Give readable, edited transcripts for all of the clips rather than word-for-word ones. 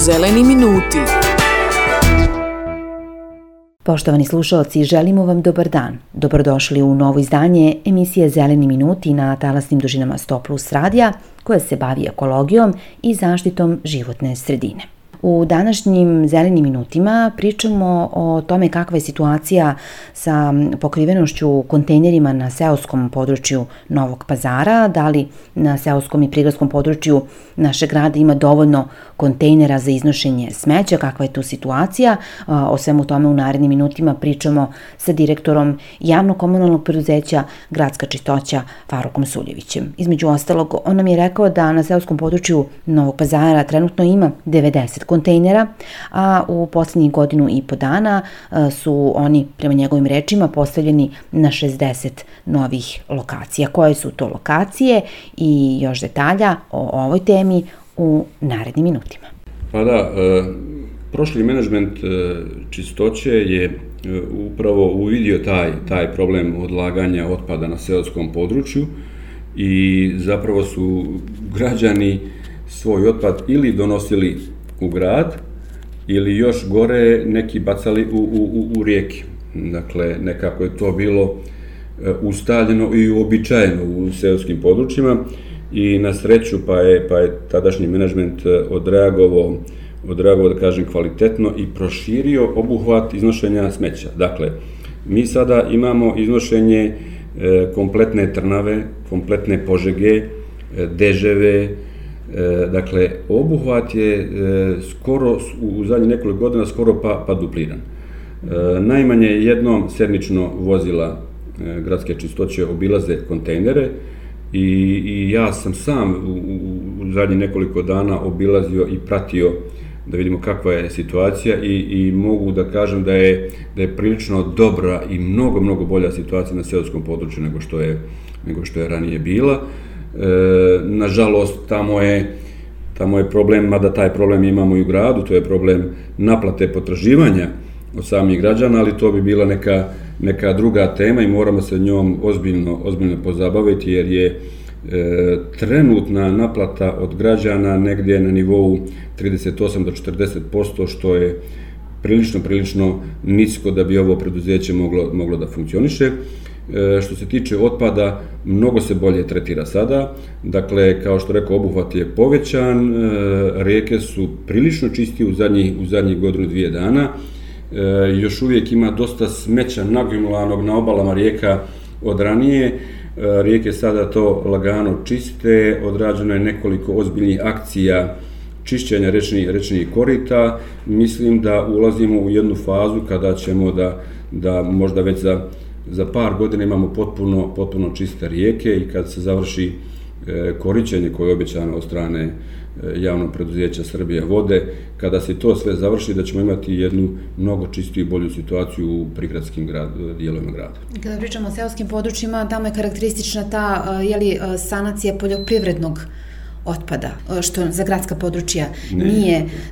Zeleni minuti. Poštovani slušalci, želimo vam dobar dan. Dobrodošli u novo izdanje emisije Zeleni minuti na talasnim dužinama 100+ radija, koja se bavi ekologijom i zaštitom životne sredine. U današnjim Zelenim minutima pričamo o tome kakva je situacija sa pokrivenošću kontejnerima na seoskom području Novog Pazara, da li na seoskom i prigradskom području našeg grada ima dovoljno kontejnera za iznošenje smeća, kakva je tu situacija. O svemu tome u narednim minutima pričamo sa direktorom javnog komunalnog preduzeća Gradska čistoća Farukom Suljevićem. Između ostalog, on nam je rekao da na seoskom području Novog Pazara trenutno ima 90 kontejnera, a u posljednjih 1.5 dana su oni, prema njegovim rečima, postavljeni na 60 novih lokacija. Koje su to lokacije i još detalja o ovoj temi u narednim minutima. Pa da, prošli menadžment čistoće je upravo uvidio taj problem odlaganja otpada na seoskom području i zapravo su građani svoj otpad ili donosili u grad ili još gore neki bacali u rijeke. Dakle, nekako je to bilo ustaljeno i uobičajeno u seoskim područjima i na sreću pa je tadašnji menadžment odreagovao da kažem kvalitetno i proširio obuhvat iznošenja smeća. Dakle, mi sada imamo iznošenje kompletne Trnave, kompletne Požege, Deževe. Dakle, obuhvat je skoro u zadnjih nekoliko godina skoro pa dupliran. Najmanje jednom sedmično vozila gradske čistoće obilaze kontejnere i ja sam sam u zadnjih nekoliko dana obilazio i pratio da vidimo kakva je situacija i mogu da kažem da je prilično dobra i mnogo bolja situacija na seoskom području nego što je ranije bila. Nažalost, tamo je problem, mada taj problem imamo i u gradu, to je problem naplate potraživanja od samih građana, ali to bi bila neka druga tema i moramo se njom ozbiljno pozabaviti jer je trenutna naplata od građana negdje na nivou 38 do 40%, što je prilično nisko da bi ovo preduzeće moglo da funkcioniše. Što se tiče otpada, mnogo se bolje tretira sada. Dakle, kao što rekao, obuhvat je povećan, rijeke su prilično čistije u zadnjih 1-2 dana. Još uvijek ima dosta smeća nagomilanog na obalama rijeka od ranije. Rijeke sada to lagano čiste, odrađeno je nekoliko ozbiljnih akcija čišćenja rečnih korita. Mislim da ulazimo u jednu fazu kada ćemo da možda već za par godina imamo potpuno čiste rijeke i kad se završi korištenje koje je obećano od strane javnog preduzeća Srbija vode, kada se to sve završi da ćemo imati jednu mnogo čistiju i bolju situaciju u prigradskim dijelovima grada. Kada pričamo o seoskim područjima, tamo je karakteristična ta sanacija poljoprivrednog otpada, što za gradska područja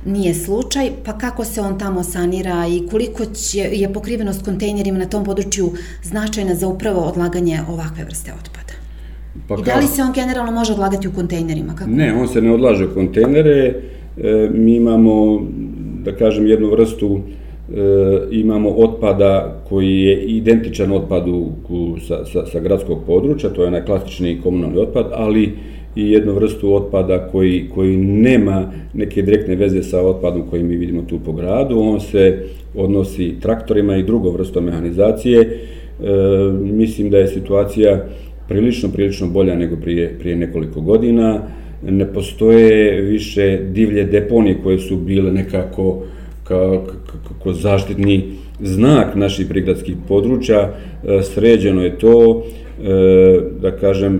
nije slučaj, pa kako se on tamo sanira i koliko je pokrivenost kontejnerima na tom području značajna za upravo odlaganje ovakve vrste otpada? I da li se on generalno može odlagati u kontejnerima? Ne, on se ne odlaže u kontejnere. Mi imamo, da kažem, jednu vrstu, imamo otpada koji je identičan otpadu sa gradskog područja, to je onaj klasični komunalni otpad, ali i jednu vrstu otpada koji nema neke direktne veze sa otpadom koji mi vidimo tu po gradu. On se odnosi traktorima i drugom vrstom mehanizacije. Mislim da je situacija prilično bolja nego prije nekoliko godina. Ne postoje više divlje deponije koje su bile nekako kao zaštitni znak naših prigradskih područja. Sređeno je to, da kažem,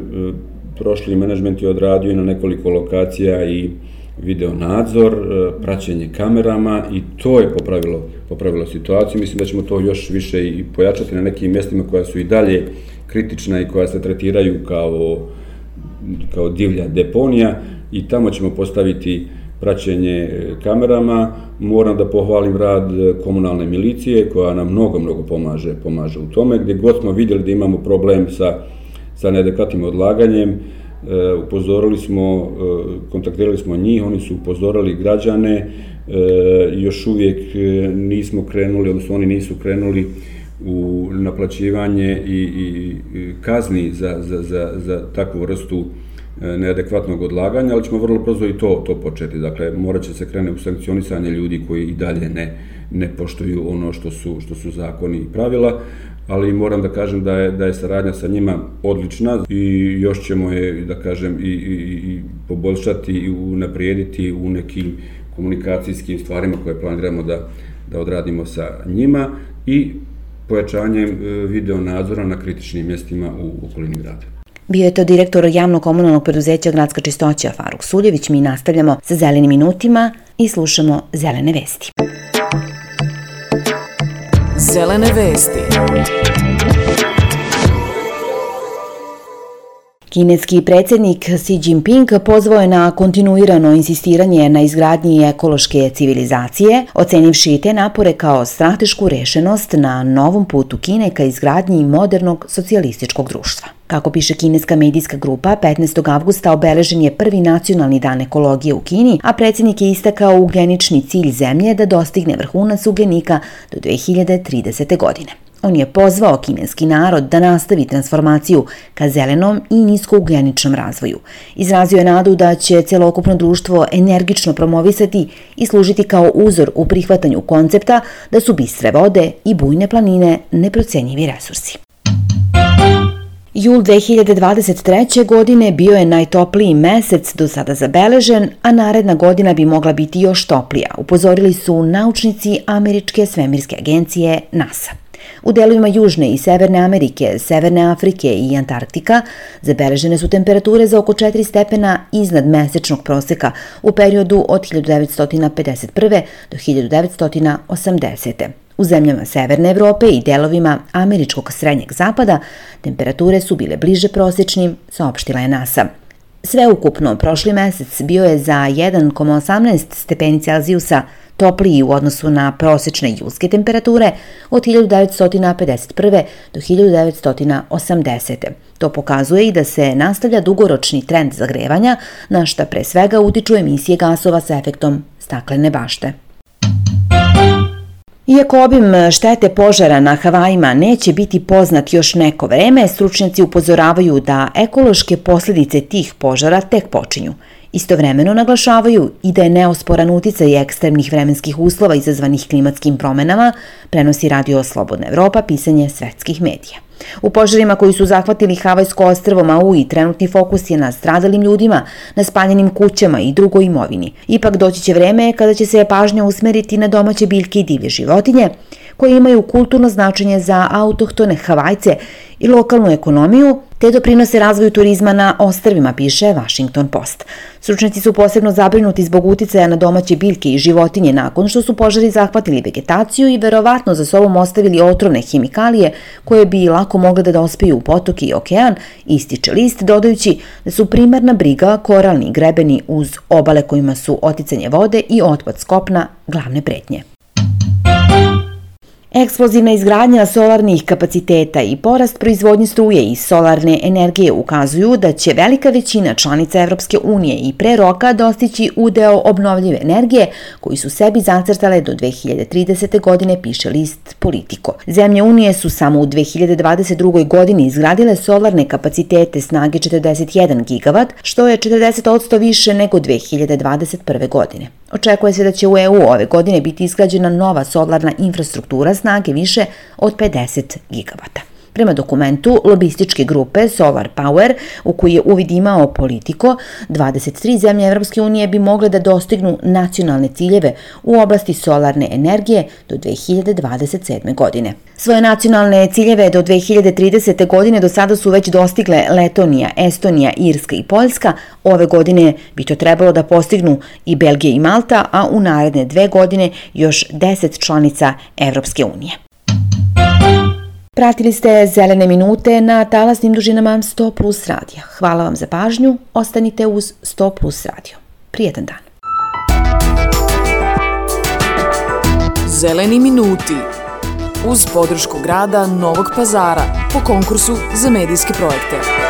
prošli menadžment je odradio i na nekoliko lokacija i video nadzor, praćenje kamerama i to je popravilo situaciju. Mislim da ćemo to još više i pojačati na nekim mjestima koja su i dalje kritična i koja se tretiraju kao divlja deponija i tamo ćemo postaviti praćenje kamerama. Moram da pohvalim rad komunalne milicije koja nam mnogo pomaže u tome. Gdje god smo vidjeli da imamo problem sa neadekvatnim odlaganjem, upozorili smo, kontaktirali smo njih, oni su upozorili građane, još uvijek nismo krenuli, odnosno oni nisu krenuli u naplaćivanje i kazni za takvu vrstu neadekvatnog odlaganja, ali ćemo vrlo brzo i to početi. Dakle, morat će se krenuti u sankcionisanje ljudi koji i dalje ne poštuju ono što su zakoni i pravila, ali moram da kažem da je saradnja sa njima odlična i još ćemo je, da kažem, i poboljšati i unaprijediti u nekim komunikacijskim stvarima koje planiramo da odradimo sa njima i pojačanjem video nadzora na kritičnim mjestima u okolini grada. Bio je to direktor javno-komunalnog preduzeća Gradska čistoća Faruk Suljević. Mi nastavljamo sa zelenim minutima i slušamo zelene vesti. Zelene vesti. Kineski predsjednik Xi Jinping pozvao je na kontinuirano insistiranje na izgradnji ekološke civilizacije, ocenivši te napore kao stratešku rešenost na novom putu Kine ka izgradnji modernog socijalističkog društva. Kako piše kineska medijska grupa, 15. avgusta obeležen je prvi nacionalni dan ekologije u Kini, a predsjednik je istakao ugljenični cilj zemlje da dostigne vrhunac ugljenika do 2030. godine. On je pozvao kineski narod da nastavi transformaciju ka zelenom i niskougljeničnom razvoju. Izrazio je nadu da će celokupno društvo energično promovisati i služiti kao uzor u prihvatanju koncepta da su bistre vode i bujne planine neprocenjivi resursi. Jul 2023. godine bio je najtopliji mesec do sada zabeležen, a naredna godina bi mogla biti još toplija, upozorili su naučnici Američke svemirske agencije NASA. U delovima Južne i Severne Amerike, Severne Afrike i Antarktika zabeležene su temperature za oko 4 stepena iznad mesečnog proseka u periodu od 1951. do 1980. U zemljama Severne Evrope i delovima američkog srednjeg zapada temperature su bile bliže prosječnim, saopštila je NASA. Sveukupno, prošli mesec bio je za 1,18 stepeni Celzijusa topliji u odnosu na prosječne julske temperature od 1951. do 1980. To pokazuje i da se nastavlja dugoročni trend zagrevanja, na šta pre svega utiču emisije gasova sa efektom staklene bašte. Iako obim štete požara na Havajima neće biti poznat još neko vreme, stručnjaci upozoravaju da ekološke posljedice tih požara tek počinju. Istovremeno naglašavaju i da je neosporan uticaj ekstremnih vremenskih uslova izazvanih klimatskim promenama, prenosi Radio Slobodna Evropa, pisanje svetskih medija. U požarima koji su zahvatili Havajsko ostrvo Maui, trenutni fokus je na stradalim ljudima, na spaljenim kućama i drugoj imovini. Ipak doći će vreme kada će se pažnja usmeriti na domaće biljke i divlje životinje, koje imaju kulturno značenje za autohtone Havajce i lokalnu ekonomiju, te doprinose razvoju turizma na ostrvima, piše Washington Post. Stručnjaci su posebno zabrinuti zbog uticaja na domaće biljke i životinje nakon što su požari zahvatili vegetaciju i verovatno za sobom ostavili otrovne hemikalije koje bi lako mogle da dospiju u potoke i okean, ističe list, dodajući da su primarna briga koralni grebeni uz obale kojima su oticanje vode i otpad s kopna glavne pretnje. Eksplozivna izgradnja solarnih kapaciteta i porast proizvodnje struje iz solarne energije ukazuju da će velika većina članica Evropske unije i pre roka dostići udeo obnovljive energije koji su sebi zacrtale do 2030. godine, piše list Politico. Zemlje Unije su samo u 2022. godini izgradile solarne kapacitete snage 41 gigavat, što je 40% više nego 2021. godine. Očekuje se da će u EU ove godine biti izgrađena nova solarna infrastruktura snage više od 50 gigavata. Prema dokumentu lobističke grupe Solar Power, u koji je uvid imao Politico, 23 zemlje Evropske unije bi mogle da dostignu nacionalne ciljeve u oblasti solarne energije do 2027. godine. Svoje nacionalne ciljeve do 2030. godine do sada su već dostigle Letonija, Estonija, Irska i Poljska. Ove godine bi to trebalo da postignu i Belgija i Malta, a u naredne 2 godine još 10 članica Evropske unije. Pratili ste Zelene minute na talasnim dužinama 100 plus radija. Hvala vam za pažnju, ostanite uz 100 plus radio. Prijetan dan. Zeleni minuti uz podršku grada Novog Pazara po konkursu za medijske projekte.